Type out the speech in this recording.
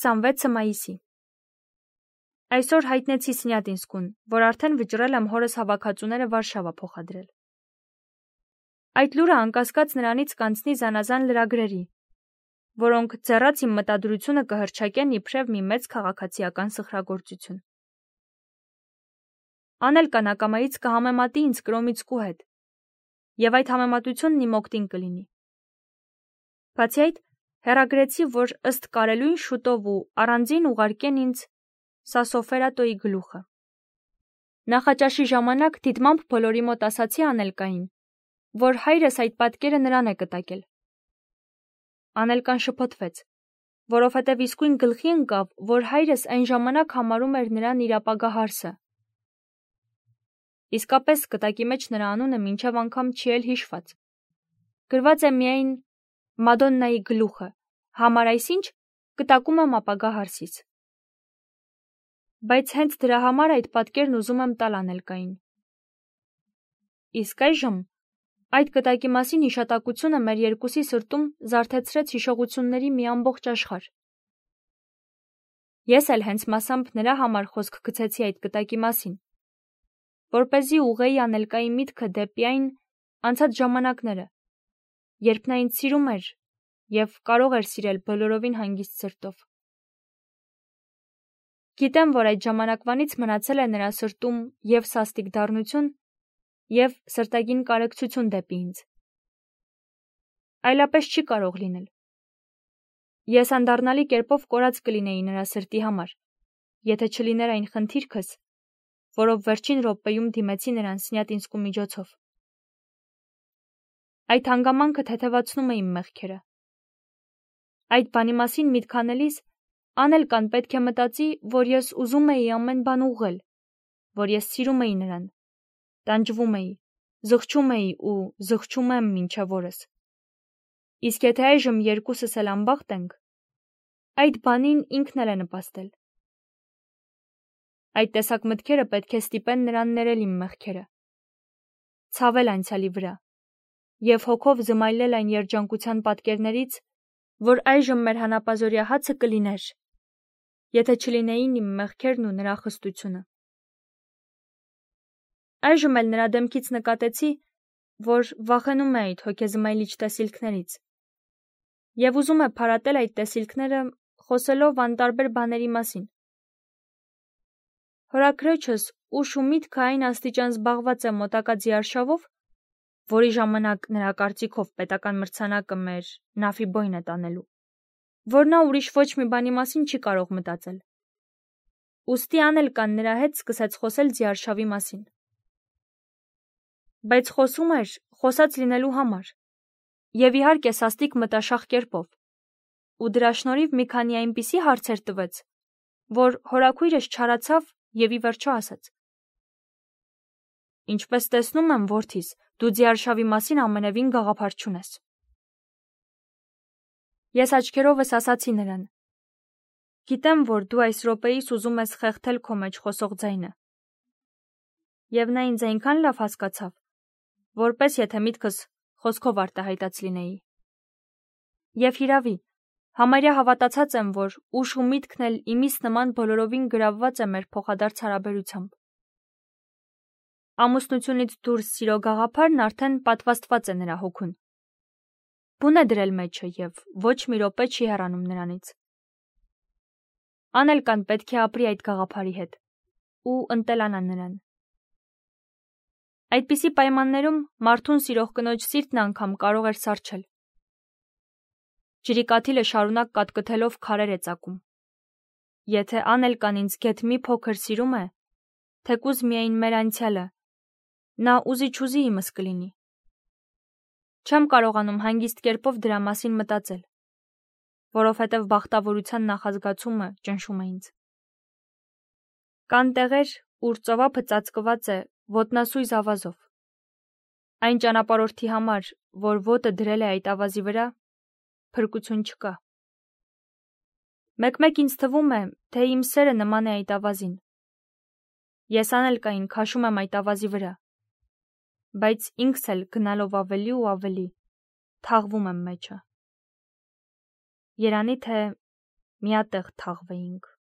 26 մայիսի։ Այսօր հայտնեցի Սնյատինսկուն, որ արդեն վճռել եմ հորս հավաքածուները Վարշավա փոխադրել։ Այդ լուրը անկասկած նրանից կանցնի զանազան լրագրերի, որոնք ձեռած իմ մտադրությունը կհռչակեն իբրև մի մեծ քաղաքացիական սխրագործություն։ Անելկան ակամայից կհամեմատի ինձ Կրոմիցկու հետ, եւ այդ համեմատությունն իմ օգտին կլինի։ Բացի այդ, հեռագրեցի, որ ըստ կարելույն շուտով ու առանձին ուղարկեն ինձ Սասոֆերատոյի գլուխը։ Նախաճաշի ժամանակ դիտմամբ բոլորի մոտ ասացի Անելկային, որ հայրս այդ պատկերը նրան է կտակել։ Անելկան շփոթվեց, որովհետև իսկույն գլխի ընկավ, որ հայրս այն ժամանակ համարում էր նրան իր ապագա հարսը։ Իսկապես կտակի մեջ նրա անունը մինչև անգամ չի էլ հիշված։ Գրված է միայն Մադոննայի գլուխը, համար այսինչ կտակում եմ ապագա հարսից։ Բայց հենց դրա համար այդ պատկերն ուզում եմ տալ Անելկային։ Իսկ այժմ այդ կտակի մասին հիշատակությունը մեր երկուսի սրտում զարթեցրեց հիշողությունների մի ամբողջ աշխարհ։ Ես էլ հենց մասամբ նրա համար խոսք գցեցի այդ կտակի մասին, որպեսզի ուղղեի Անելկայի միտքը դեպի այն անցած ժամանակները, երբ նա ինձ սիրում էր և կարող էր սիրել բոլորովին հանգիստ սրտով։ Գիտեմ, որ այդ ժամանակվանից մնացել է նրա սրտում և սաստիկ դառնություն, և սրտագին կարեկցություն դեպի ինձ։ Այլապես չի կարող լինել։ Ես անդառնալի կերպով կորած կլինեի նրա սրտի համար, եթե չլիներ այն խնդիրքս, որով վերջին րոպեում դիմեցի նրան Սնյատինսկու միջոցով։ Այդ հանգամանքը թեթևացնում է իմ մեղքերը։ Այդ բանի մասին միտք անելիս Անելկան պետք է մտածի, որ ես ուզում էի ամեն բան ուղղել, որ ես սիրում էի նրան, տանջվում էի, զղջում էի ու զղջում եմ մինչև օրս։ Իսկ եթե այժմ երկուսս էլ անբախտ ենք, այդ բանին ինքն էլ է նպաստել։ Այդ տեսակ մտքերը պետք է ստիպեն նրան ներել իմ մեղքերը, ցավել անցյալի վրա և հոգով զմայլել այն երջանկության պատկերներից, որ այժմ մեր հանապազօրյա հացը կլիներ, եթե չլինեին իմ մեղքերն ու նրա խստությունը։ Այժմ էլ նրա դեմքից նկատեցի, որ վախենում է այդ հոգեզմայլիչ տեսիլքներից և ուզում է փարատել այդ տեսիլքները խոսելով անտարբեր բաների մասին։ Հորաքրոջս ուշ ու միտքը այն աստիճան զբաղված է մոտակա ձիարշավով, որի ժամանակ նրա կարծիքով պետական մրցանակը մեր Նաֆիբոյն է տանելու, որ նա ուրիշ ոչ մի բանի մասին չի կարող մտածել։ Ուստի Անելկան նրա հետ սկսեց խոսել ձիարշավի մասին։ Բայց խոսում էր խոսած լինելու համար, և իհարկե սաստիկ մտաշախ կերպով, ու դրա շնորհիվ մի քանի այնպիսի հարցեր տվեց, որ հորաքույրս չարացավ և ի վերջո ասաց. Ինչպես տեսնում եմ, որդիս, դու ձիարշավի մասին ամենևին գաղափար չունես։ Ես աչքերովս ասացի նրան. Գիտեմ, որ դու այս րոպեիս ուզում ես խեղդել քո մեջ խոսող ձայնը։ Եվ նա ինձ այնքան լավ հասկացավ, որպես եթե միտքս խոսքով արտահայտած լինեի։ Եվ հիրավի, համարյա հավատացած եմ, որ ուշ ու միտքն էլ իմիս նման բոլորովին գրավված է մեր փոխադարձ հարաբերությամբ։ Ամուսնությունից դուրս սիրո գաղափարն արդեն պատվաստված է նրա հոգուն։ Բուն է դրել մեջը և ոչ մի րոպե չի հեռանում նրանից։ Անելկան պետք է ապրի այդ գաղափարի հետ ու ընտելանա նրան։ Այդպիսի պայմաններում մարդուն սիրող կնոջ սիրտն անգամ կարող էր սառչել։ Ջրի կաթիլը շարունակ կատկթելով քարեր է ծակում։ Եթե Անելկան ինձ գեթ մի փոքր սիրում է, թեկուզ միայն մեր անցյալը, նա ուզի-չուզի իմս կլինի։ Չեմ կարողանում հանգիստ կերպով դրա մասին մտածել, որովհետև բախտավորության նախազգացումը ճնշում է ինձ։ Կան տեղեր, ուր ծովափը ծածկված է ոտնասույզ ավազով։ Այն ճանապարհորդի համար, որ ոտը դրել է այդ ավազի վրա, փրկություն չկա։ Մեկ-մեկ ինձ թվում է, թե իմ սերը նման է այդ ավազին։ Ես Անելկային քաշում եմ այդ ավազի վրա, բայց ինքս էլ գնալով ավելի ու ավելի թաղվում եմ մեջը։ Երանի թե միատեղ թաղվեինք։